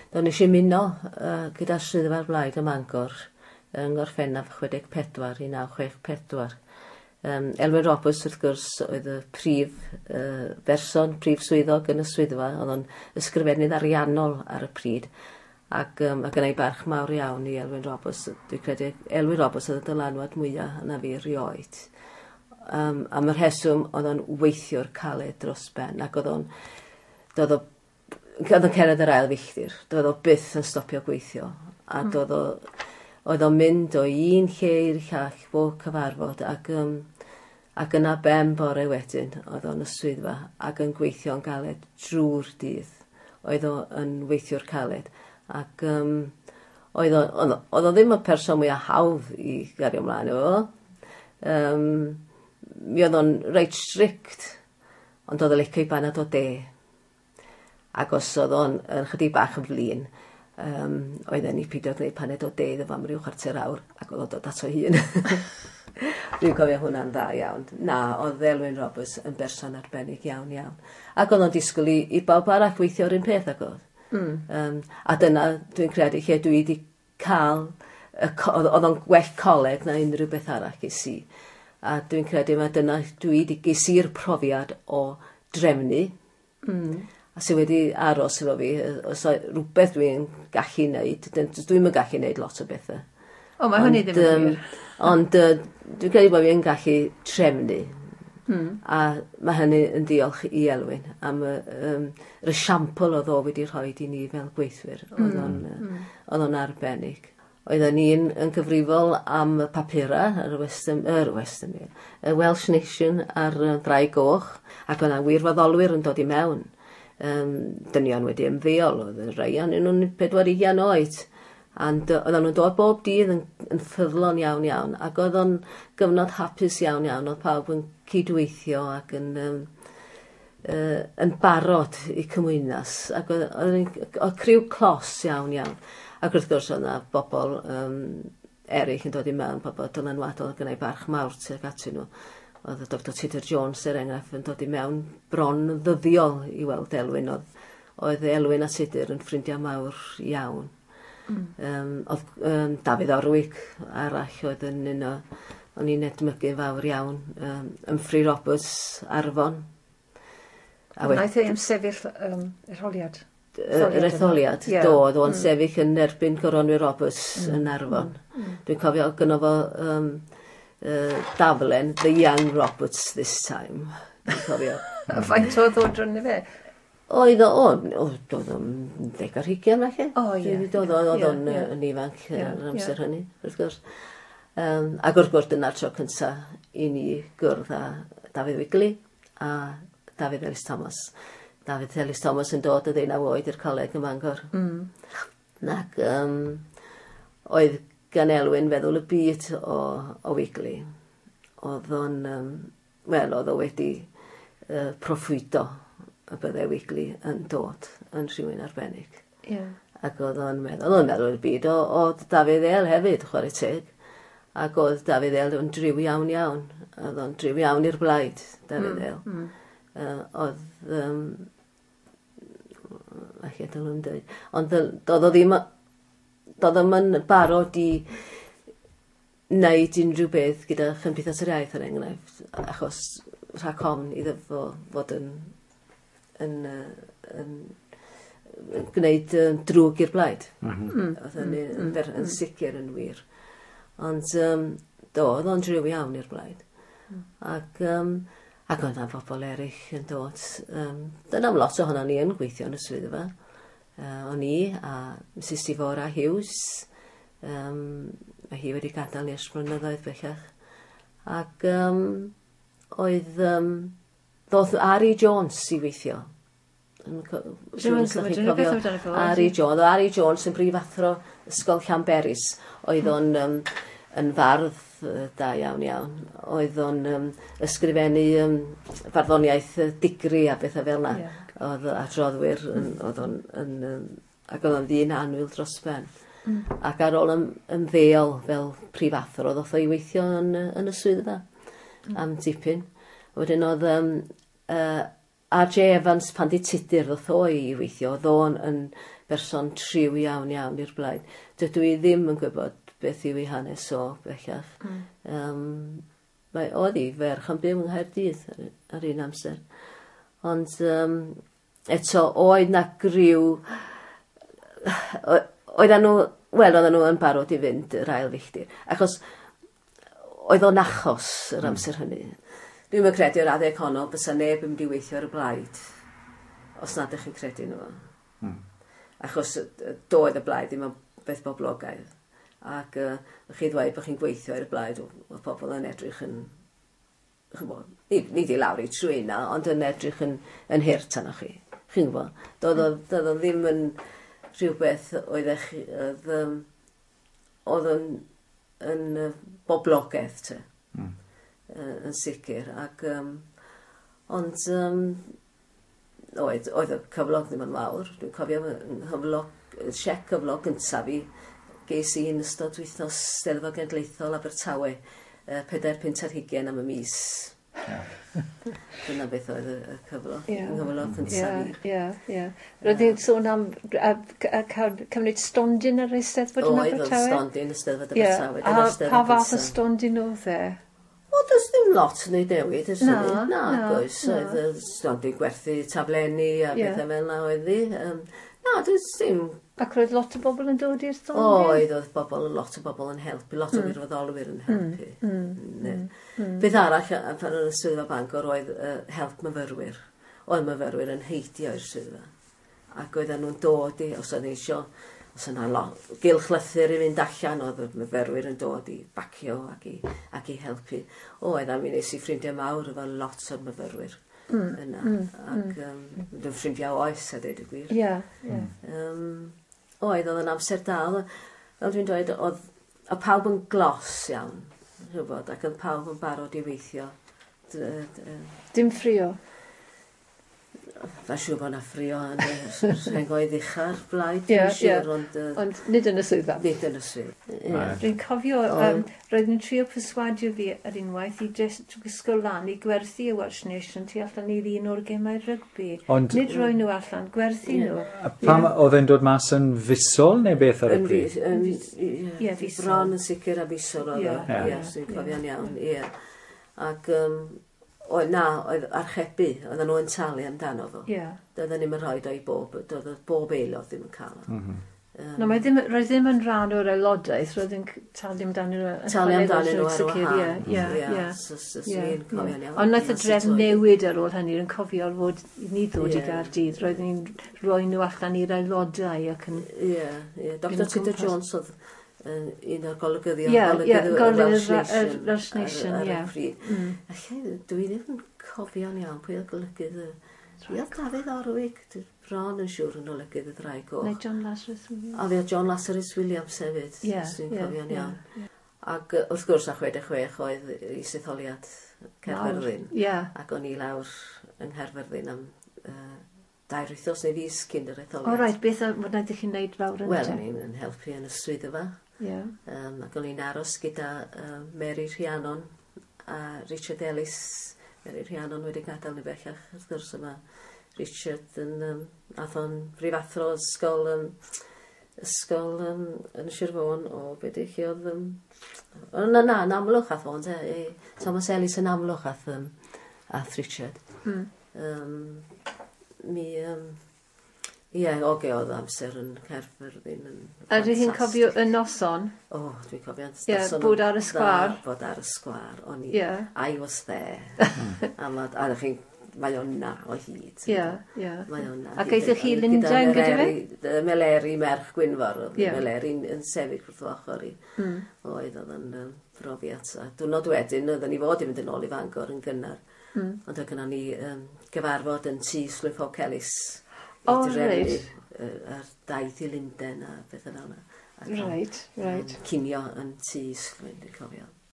Do, nes i ymuno gyda Swyddfa'r Blaid ym Mangor yng Ngorffennaf 64, 1964. Elwyn Roberts, wrth gwrs, oedd y prif berson, prif swyddog yn y swyddfa. Oedd o'n ysgrifennydd ariannol ar y pryd. Ac mae gynna i barch mawr iawn i Elwyn Roberts. Dwi'n credu Elwyn Roberts oedd y dylanwad mwyaf yna fi erioed. Am y rheswm, oedd o'n weithiwr caled dros ben, ac oedd o'n doedd o oedd o'n cerdded yr ail filltir, doedd o byth yn stopio gweithio, a doedd o oedd o'n mynd o un lle i'r llall bob cyfarfod, ac yna ben bore wedyn oedd o'n y swyddfa ac yn gweithio'n galed drwy'r dydd. Oedd o yn weithiwr caled, ac oedd o ddim y person mwyaf hawdd i gario ymlaen efo fo. Mi oedd o'n reit strict, ond oedd o'n licio i banad o de. Ac os oedd o'n yn chydig bach yn flin, oedden ni pidio gwneud paned o de iddo fo am ryw chwarter awr, ac oedd o'n dod ato hun. Dwi'n cofio hwnna'n dda iawn. Na, oedd Elwyn Roberts yn berson arbennig iawn iawn. Ac oedd o'n disgwyl i bawb arall weithio yr un peth ac oedd. A dyna, dwi'n credu, lle dwi wedi cael, oedd o'n gwell coleg na unrhyw beth arall ges i. A dwi'n credu mae dyna dwi wedi ges i'r profiad o drefnu. A sydd wedi aros efo fi, os oes rhywbeth dwi'n gallu wneud, dwi'm yn gallu wneud lot o bethau. O, mae hynny ddim yn wir. Ond dwi'n credu bod fi'n gallu trefnu. A mae hynny yn diolch i Elwyn am yr esiampl oedd o wedi rhoi i ni fel gweithwyr. Oedd o'n arbennig. Oedden ni'n yn gyfrifol am y papurau, yr Western, yr Western, y Welsh Nation a'r Ddraig Goch, ac oedd yna wirfoddolwyr yn dod i mewn. Dynion wedi ymddeol, oedd y rhai ohonyn nhw'n 40 oed. And oedden nhw'n dod bob dydd yn ffyddlon iawn iawn, ac oedd o'n gyfnod hapus iawn iawn, oedd pawb yn cydweithio ac yn barod i cymwynas, ac oedd criw clos iawn iawn. Ac wrth gwrs oedd yna bobl eraill yn dod i mewn, pobl dylanwadol, gynnau barch mawr tuag atyn nhw. Oedd y Dr Tudor Jones, er enghraifft, yn dod i mewn bron ddyddiol i weld Elwyn. Oedd Elwyn a Tudur yn ffrindiau mawr iawn. Oedd Dafydd Orwig arall oedd yn un o, o'n i'n edmygu fawr iawn. Humphrey Roberts, Arfon. A wnaeth e ymsefyll etholiad? Yr etholiad, do, oedd o'n sefyll yn erbyn Goronwy Roberts yn Arfon. Dwi'n cofio gynno fo daflen, "The Young Roberts this time". Dwi'n cofio. Faint oedd o drwn fe? Oedd o, oedd o'n 20 falle. O, ie. Oedd o'n yn ifanc yr amser hynny, wrth gwrs. Ac wrth gwrs dyna'r tro cyntaf i ni gwrdd â Dafydd Wigley a Dafydd Elis Thomas. Dafydd Elis Thomas yn dod o 19 oed i'r coleg ym Mangor. Ac oedd gan Elwyn feddwl y byd o Wigley. Oedd o'n, wel, oedd o wedi proffwydo y byddai Wigley yn dod yn rhywun arbennig. Ac oedd o'n meddwl y byd o Dafydd El hefyd, chwarae teg. Ac oedd Dafydd El yn driw iawn iawn. Oedd o'n driw iawn i'r blaid, Dafydd El. Oedd... Alla dylwn dweud. Ond doedd o ddim... Doedd o'm yn barod i wneud unrhyw beth gyda Chymdeithas yr Iaith, er enghraifft, achos rhag ofn iddo fo fod yn gwneud drwg i'r blaid. Oedd hynny yn sicr yn wir. Ond do, oedd o'n driw iawn i'r blaid. Ac oedd yna bobl eraill yn dod. Dyna am lot ohono ni yn gweithio yn y swyddfa. O'n i a Mrs Sifora Hughes, mae hi wedi gadael ni ers blynyddoedd bellach. Ac oedd ddoth Ari Jones i weithio. Ari Jones. Ari Jones yn brifathro Ysgol Llanberis. Oedd o'n yn fardd da iawn iawn. Oedd o'n ysgrifennu farddoniaeth digri a bethau fel yna. Oedd adroddwyr, oedd o'n, ac oedd o'n ddyn annwyl dros ben. Ac ar ôl ymddeol fel prifathro, ddoth o i weithio yn y swyddfa am dipyn. Wedyn oedd R.J. Evans pan di Tudur ddoth o i weithio, oedd o'n yn berson triw iawn iawn i'r blaid. Dydw i ddim yn gwybod beth yw ei hanes o bellach. Mae oedd hi ferch yn byw yng Nghaerdydd ar un amser. Ond eto, oedd na griw. Oedden nhw, wel, oedden nhw yn barod i fynd yr ail filltir. Achos oedd o'n achos yr amser hynny. Dwi'n yn credu o'r adeg honno bysa neb yn mynd i weithio ar y blaid os nad ydych chi'n credu nhw. Achos doedd y blaid ddim yn beth boblogaidd. Ac chi ddweud bod chi'n gweithio ar y blaid, oedd pobl yn edrych yn, ch'mod, nid i lawr i trwyna, ond yn edrych yn hurt arnoch chi. Chi'n gwybod? Doedd o ddim yn rhywbeth oeddech chi, oedd yn boblogaidd te. Yn sicr. Ac, ond oedd y cyflog ddim yn fawr. Dwi'n cofio fy nghyflog, siec cyflog gyntaf fi ges i yn ystod wythnos Steddfod Genedlaethol Abertawe, 4 punt ar hugain am y mis. Dyna beth oedd y cyflog, nghyflog cyntaf fi. Ie, ie. Roedd hi'n sôn am cael cymryd stondin ar Eisteddfod yn Oedd, oedd Abertawe? stondin y Steddfod Abertawe. Dyna'r A Steddfod pa fath o gyntaf. stondin oedd e? O, does dim lot yn ei newid, ers Na, hynny. Na, na, oes. na. Oedd y stondin gwerthu taflenni a pethau fel yna oedd hi. Na, does dim. Ac roedd lot o bobl yn dod i'r stondin? Oedd bobl, lot o bobl yn helpu, lot o wirfoddolwyr yn helpu. Beth arall, pan oedd y swyddfa Bangor, oedd help myfyrwyr. Oedd myfyrwyr yn heidio i'r swyddfa. Ac oedden nhw'n dod i, os oedd eisiau, os yna gylchlythyr i fynd allan, oedd y myfyrwyr yn dod i bacio ac i helpu. Oedd, a mi nes i ffrindiau mawr efo lot o'r myfyrwyr yna. Ac yn ffrindiau oes, a dweud y gwir. Ie, ie. Oedd yn amser da. Fel dwi'n dweud, oedd a pawb yn glos iawn, rhywbeth, ac oedd pawb yn barod i weithio. Dim ffrio. Mae'n siŵr bod yna ffrio yn y rhengoedd ucha'r blaid, dwi'n siŵr, ond Ond nid yn y swyddfa. Nid yn y swydd. Ie. Dwi'n cofio, roedd yn trio perswadio fi ar unwaith i just gwisgo lan i gwerthu y Welsh Nation tu allan i'r un o'r gemau rygbi. Nid rhoi nhw allan, gwerthu nhw. A pam oedd e'n dod mas yn fisol neu beth ar y Yn pryd? yn, Ie, fisol. Bron yn sicr a fisol oedd o. Ie, dwi'n cofio'n iawn, ie. Ac, oedd, na, oedd archebu, oedden nhw yn talu amdano fo. Doedden ni'm yn rhoi o i bob, doedd bob aelod ddim yn cael o. No, mae ddim, roedd ddim yn rhan o'r aelodaeth, roedd yn talu amdano nhw. Yn Talu chwarae amdanyn nhw reit ar sicr, wahân. Ie. So dwi'n cofio'n iawn. Ond nath y Dyna sut drefn oedd hi. newid ar ôl hynny, yn cofio fod i ni ddod i Gaerdydd, roedd ni'n rhoi nhw allan i'r aelodau ac yn Ie. Dr Mynd o Tudor gwmpas. Jones oedd un o'r golygyddion, Ie, golygydd y golygydd Welsh Nation y Welsh Nation, ar y ie. pryd. Allai, dwi ddim yn cofio'n iawn pwy oedd golygydd y. Ie, oedd Dafydd Orwig, dwi bron yn siŵr yn olygydd y Ddraig Goch. Neu John Lazarus Williams. A fe oedd John Lazarus Williams hefyd, os dwi'n cofio'n iawn. Ac wrth gwrs, a 66 oedd isetholiad Caerfyrddin. Ac o'n i lawr yng Nghaerfyrddin am 2 wythnos neu fis cyn yr etholiad. O reit, beth wnaethoch chi'n neud fawr yn Wel, te? o'n i'n yn helpu yn y swyddfa. Ac o'n i'n aros gyda Mary Rhiannon a Richard Ellis. Mary Rhiannon wedi gadael ni bellach, wrth gwrs yma. Richard yn, ath o'n brifathro ysgol yn Sir Fôn o beth i chi oedd. O, na, yn Amlwch ath o'n te. Thomas Ellis yn Amlwch ath Richard. Mi... Ie, oge oedd amser yn Caerfyrddin yn A ydych chi'n cofio ffantastig. y noson? O, dwi'n cofio. Ie, Noson bod yn ar y sgwâr. dda Bod ar y sgwâr. O'n i, I was there. A chi'n, mae o'n na o hyd. Ie, ie. Mae o'n na. Ac aethoch chi i Lundain gyda fe? Meleri merch Gwynfor. Oedd Meleri yn sefyll wrth ochr i. Oedd yn brofiad. A diwrnod wedyn, oedden ni fod i fynd yn ôl i Fangor yn gynnar. Ond oedd gynnon ni gyfarfod yn tŷ Islwyn Ffowc Elis i drefnu ar daith i Lundain a bethau fel yna. Ac, Reit, reit. Cinio yn tŷ Islwyn, dwi'n cofio.